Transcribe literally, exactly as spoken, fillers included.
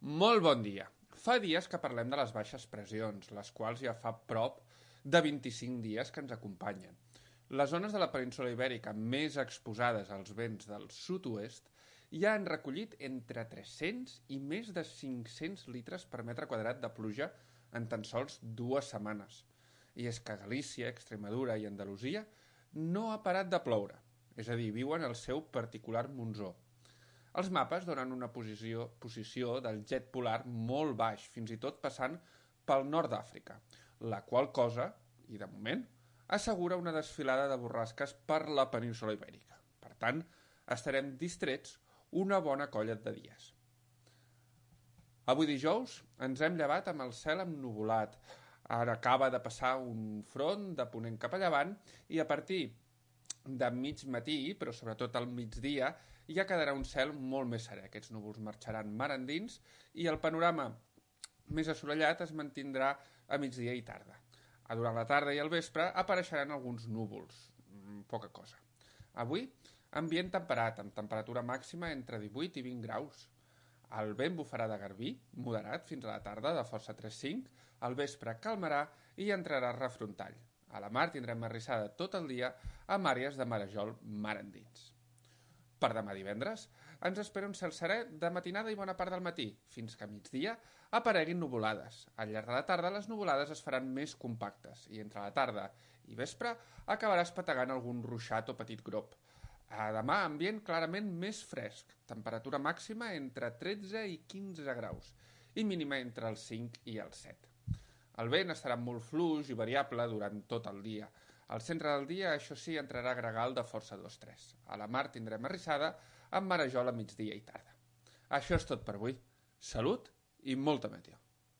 Molt bon dia. Fa dies que parlem de les baixes pressions, les quals ja fa prop de vint-i-cinc dies que ens acompanyen. Les zones de la península Ibèrica més exposades als vents del sud-oest ja han recollit entre tres-cents i més de cinc-cents litres per metre quadrat de pluja en tan sols dues setmanes. I és que Galícia, Extremadura i Andalusia no ha parat de ploure, és a dir, viuen el seu particular monsó. Els mapes donen una posició, posició del jet polar molt baix, fins i tot passant pel nord d'Àfrica, la qual cosa, i de moment, assegura una desfilada de borrasques per la península Ibèrica. Per tant, estarem distrets una bona colla de dies. Avui dijous ens hem llevat amb el cel ennuvolat. Ara acaba de passar un front de ponent cap a llevant i a partir de mig matí, però sobretot al migdia, ja quedarà un cel molt més serè. Aquests núvols marxaran mar endins i el panorama més assolellat es mantindrà a migdia i tarda. Durant la tarda i el vespre apareixeran alguns núvols, poca cosa. Avui, ambient temperat, amb temperatura màxima entre divuit i vint graus. El vent bufarà de garbí, moderat fins a la tarda, de força tres cinc, al vespre calmarà i entrarà refrontall. A la mar tindrem arrissada tot el dia amb àrees de marejol mar endins. Per demà divendres ens espera un cel serè de matinada i bona part del matí, fins que a migdia apareguin nuvolades. Al llarg de la tarda les nuvolades es faran més compactes i entre la tarda i vespre acabarà espetegant algun ruixat o petit grop. A demà ambient clarament més fresc, temperatura màxima entre tretze i quinze graus i mínima entre els cinc i els set. El vent estarà molt fluix i variable durant tot el dia. Al centre del dia, això sí, entrarà gregal de força dos tres. A la mar tindrem arrissada amb marejol a migdia i tarda. Això és tot per avui. Salut i molta meteo.